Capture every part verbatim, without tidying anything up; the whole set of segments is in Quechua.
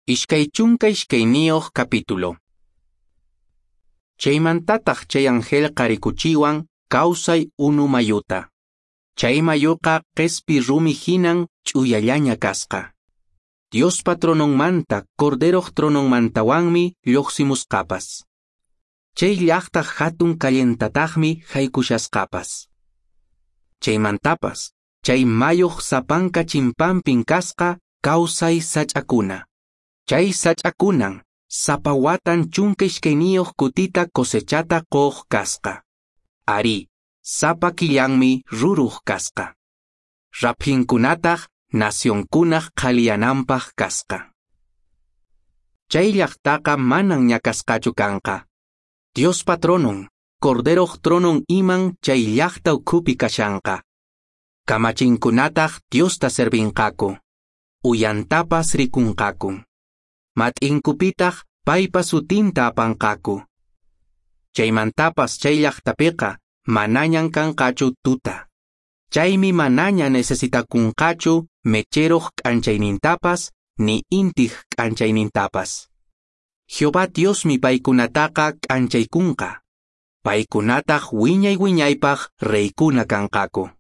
Ishkay chunka ishkayniyuq capítulo. Chaymantataq chay angelqa rikuchiwan kawsay unu mayuta. Chay mayuqa qespi rumi hinan ch'uyallaña kasqa. Diospa trononmanta, Corderoq trononmantawanmi lluqsimusqapas. Chay llaqtaq hatun callentataqmi haykushasqapas. Chaymantapas, chay mayuq sapanka chimpanpin kasqa kawsay sach'akuna. Chay sach'akunan sapa watan chunka ishkayniyuq kutita cosechata quq kasqa. Arí, sapa killanmi ruruq kasqa. Raphinkunataq nacionkunaq qhaliyananpaq kasqa. Chay llaqtaqa manan ñakasqachu kanqa. Diospa tronon, Corderoq tronon iman chay llaqta ukhupi kashanqa. Kamachinkunataq Diosta servinqaku. Uyantapas rikunqaku. Mat'inkupitaq paypa sutinta apanqaku. Chaymantapas chay llaqtapiqa manañan kanqachu tuta. Chaymi manaña necesitakunqachu mecheroq k'anchaynintapas ni intiq k'anchaynintapas. Jehová Diosmi paykunataqa k'anchaykunqa. Paykunataq wiñay wiñaypaq reykuna kanqaku.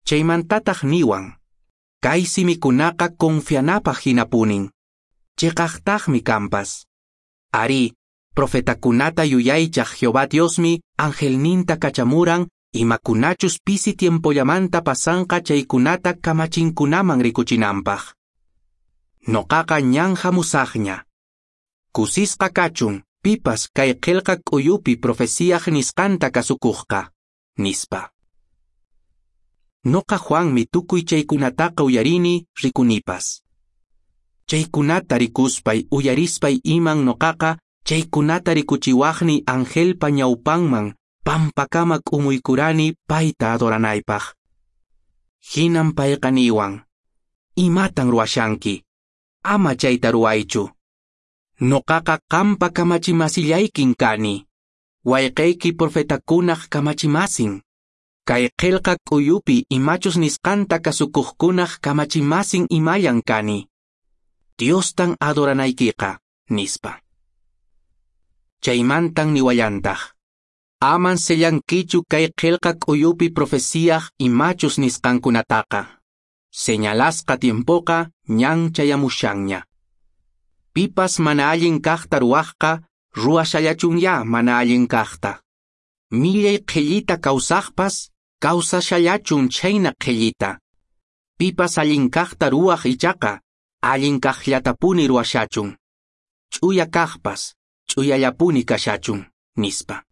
Chaymantataq niwan, kay simikunaqa confianapaq hinapunin. Chiqaqtaqmi kanpas. Arí, profetakunata yuyaychaq Jehová Diosmi angelninta kachamuran imakunachus pisi tiempollamanta pasanqa chaykunata kamachinkunaman rikuchinanpaq. Noqaqa ñan hamusaqña. Kusisqa kachun pipas kay qillqa k'uyupi profeciaq nisqanta kasukuqqa, nispa. Noqa Juanmi tukuy chaykunataqa uyarini rikunipas. Chaykunata rikuspay uyarispay iman noqaqa chaykunata rikuchiwaqni angelpa ñawpanman pampakama k'umuykurani payta adoranaypaq. Hinan payqa niwan, imatan ruwashanki? Ama chayta ruwaychu. Noqaqa qampa kamachimasillaykin kani. Wayqayki profetakunaq kamachimasin. Kay qillqa k'uyupi imachus nisqanta kasukuqkunaq kamachimasin imallan kani. Diostan adoranaykiqa, nispa. Chaymantan niwallantaq. Aman sellankichu kay qillqa k'uyupi profeciaq imachus nisqankunataqa. Señalasqa tiempoqa ñan chayamushanña. Pipas mana allin kaqta ruwaqqa, ruwashallachunya mana allin kaqta. Millay qhillita kawsaqpas, kawsashallachun chhayna qhillita. Pipas allin kaqta ruwaq ichaqa, allin kaqllatapuni ruwashachun. Ch'uya kaqpas, ch'uyallapuni kashachun, nispa.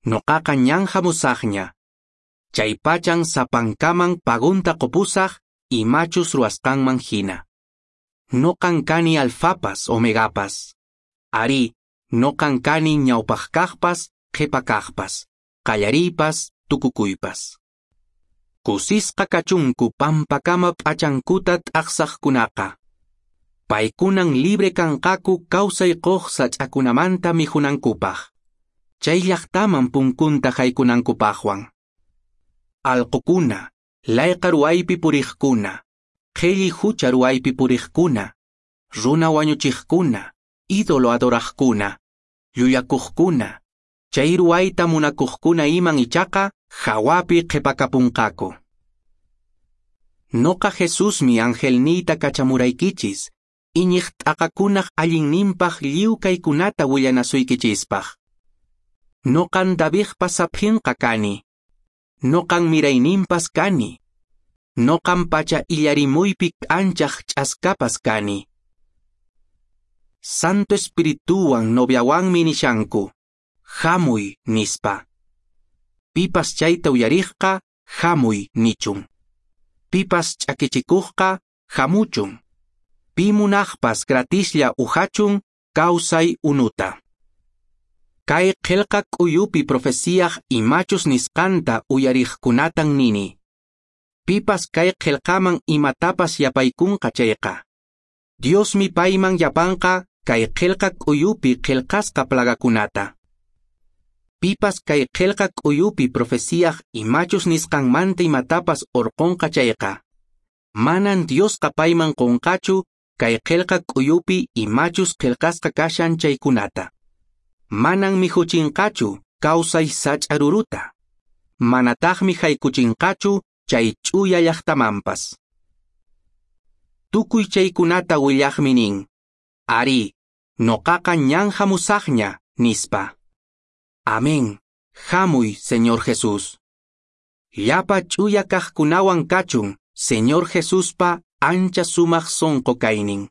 Noqaqa ñan hamusaqña. Chay pachan sapankaman pagunta qupusaq imachus ruwasqanman hina. Noqan kani alfapas omegapas. Arí, noqan kani ñawpaq kaqpas qhipa kaqpas, qallariypas tukukuypas. Kusisqa kachunku pampakama p'achankuta t'aqsaqkunaqa. Paykunan libre kanqaku kawsay quq sach'akunamanta mikhunankupaq. Chay llaqtaman punkunta haykunankupaqwan. Alqukuna, layqa ruwaypi puriqkuna, qhilli hucha ruwaypi puriqkuna, runa wañuchiqkuna, ídolo adoraqkuna, llullakuqkuna, chay ruwayta munakuqkuna iman ichaqa hawapi qhipakapunqaku. Noqa Jesusmi angelniyta kachamuraykichis, iñiq t'aqakunaq allinninpaq lliw kaykunata willanasuykichispaq. Noqan Davidpa saphinqa kani. Noqan mirayninpas kani. Noqan pacha illarimuypi k'anchaq ch'askapas kani. Santo Espirituwan noviawanmi nishanku, hamuy nispa. Pipas chayta uyariqqa, hamuy nichun. Pipas ch'akichikuqqa, hamuchun. Pi munaqpas gratislla uhachun, kawsay unuta. Kay qillqa k'uyupi profeciaq imachus nisqanta uyariqkunatan nini. Pipas kay qillqaman imatapas yapaykunqa chayqa. Diosmi payman yapanqa kay qillqa k'uyupi qillqasqa plagakunata. Pipas kay qillqa k'uyupi profeciaq imachus nisqanmanta imatapas urqunqa chayqa. Manan Diosqa payman qunqachu kay qelqa k'uyupi imachus qelqasqa kashan chaykunata. Manan mikhuchinqachu kawsay sach'a ruruta. Manataqmi haykuchinqachu chay ch'uya llaqtamanpas. Tukuy chaykunata willaqmi nin, Arí, noqaqa ñan hamusaqña, nispa. Amén. Hamuy, Señor Jesús. Llapa ch'uya kaqkunawan kachun, Señor Jesuspa ancha sumaq sonqo kaynin.